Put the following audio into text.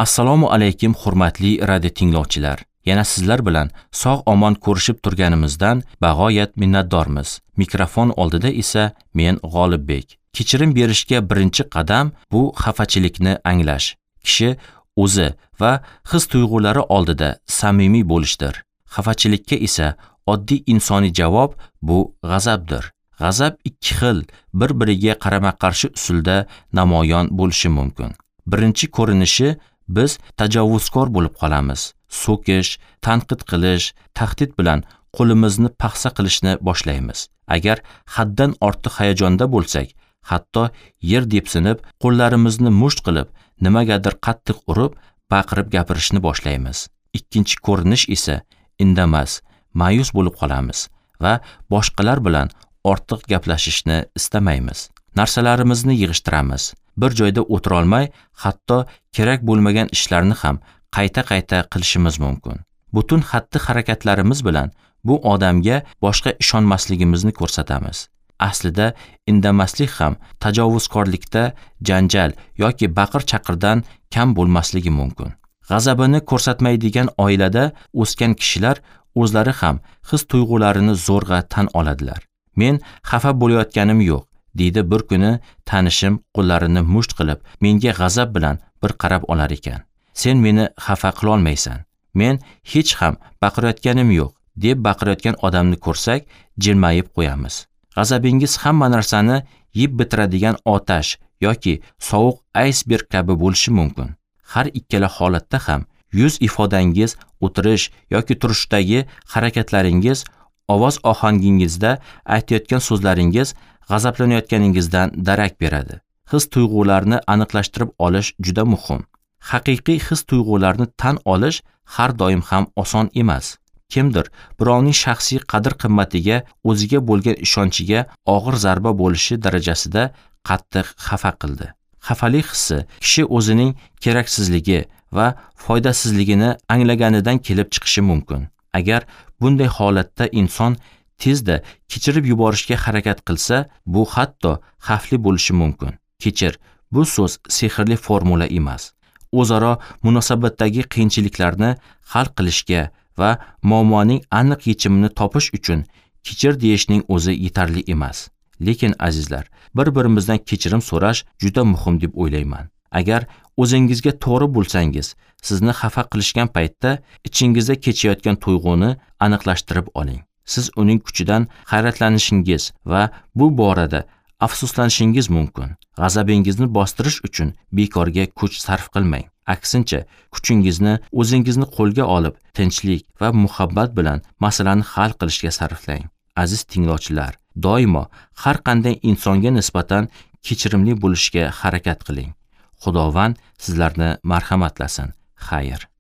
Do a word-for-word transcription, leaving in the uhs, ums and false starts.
Assalomu alaykum hurmatli radio tinglovchilar. Yana sizlar bilan sog' omon ko'rishib turganimizdan bag'oyat minnatdormiz. Mikrofon oldida esa men G'olibbek. Kechirim berishga birinchi qadam bu xafachilikni anglash. Kishi o'zi va his-tuyg'ulari oldida samimiy bo'lishdir. Xafachilikka esa oddiy insoniy javob bu g'azabdir. G'azab ikki xil, bir-biriga qarama-qarshi usulda namoyon bo'lishi mumkin. Birinchi ko'rinishi biz tajovuzkor bo'lib qolamiz. So'kish, tanqid qilish, tahdid bilan qo'limizni paxsa qilishni boshlaymiz. Agar haddan ortiq hayajonda bo'lsak, hatto yer depsinib, qo'llarimizni musht qilib, nimagadir qattiq urib, baqirib gapirishni boshlaymiz. Ikkinchi ko'rinish esa indamas, ma'yus bo'lib qolamiz va boshqalar bilan ortiq gaplashishni istamaymiz. Narsalarimizni yig'ishtiramiz. Bir joyda o'tira olmay, hatto kerak bo'lmagan ishlarni ham qayta-qayta qilishimiz mumkin. Butun xatti-harakatlarimiz bilan bu odamga boshqa ishonmasligimizni ko'rsatamiz. Aslida indamaslik ham tajovuzkorlikda janjal yoki baqir-chaqirdan kam bo'lmasligi mumkin. G'azabini ko'rsatmaydigan oilada o'sgan kishilar o'zlari ham his-tuyg'ularini zo'rg'a tan oladilar. Men xafa bo'layotganim yo'q, deydi bir kuni tanishim qo'llarini musht qilib, menga g'azab bilan bir qarab olar ekan. Sen meni xafa qila olmaysan. Men hech ham baqirayotganim yo'q, deb baqirayotgan odamni ko'rsak, jilmayib qo'yamiz. G'azabingiz hamma narsani yeb bitiradigan otash yoki sovuq aysberg kabi bo'lishi mumkin. Har ikkala holatda ham yuz ifodangiz, o'tirish yoki turishdagi harakatlaringiz, ovoz ohangingizda aytayotgan so'zlaringiz g'azablanayotganingizdan darak beradi. His-tuyg'ularni aniqlashtirib olish juda muhim. Haqiqiy his-tuyg'ularni tan olish har doim ham oson emas. Kimdir birovning shaxsiy qadr-qimmatiga, o'ziga bo'lgan ishonchiga og'ir zarba bo'lishi darajasida qattiq xafa qildi. Xafalik hissi kishi o'zining keraksizligi va foydasizligini anglaganidan kelib chiqishi mumkin. Agar bunday holatda inson tezda kechirib yuborishga harakat qilsa, bu hatto xavfli bo'lishi mumkin. Kechir, bu so'z sehrli formula emas. O'zaro munosabatdagi qiyinchiliklarni hal qilishga va muammoning aniq yechimini topish uchun kechir deyishning o'zi yetarli emas. Lekin azizlar, bir-birimizdan kechirim so'rash juda muhim deb o'ylayman. Agar o'zingizga to'g'ri bo'lsangiz, sizni xafa qilishgan paytda ichingizda kechayotgan tuyg'uni aniqlashtirib oling. Siz uning kuchidan hayratlanishingiz va bu borada afsuslanishingiz mumkin. G'azabingizni bostirish uchun bekorga kuch sarf qilmang. Aksincha, kuchingizni o'zingizni qo'lga olib, tinchlik va muhabbat bilan masalani hal qilishga sarflang. Aziz tinglovchilar, doimo har qanday insonga nisbatan kechirimli bo'lishga harakat qiling. Xudovand sizlarni marhamatlasin. Xayr.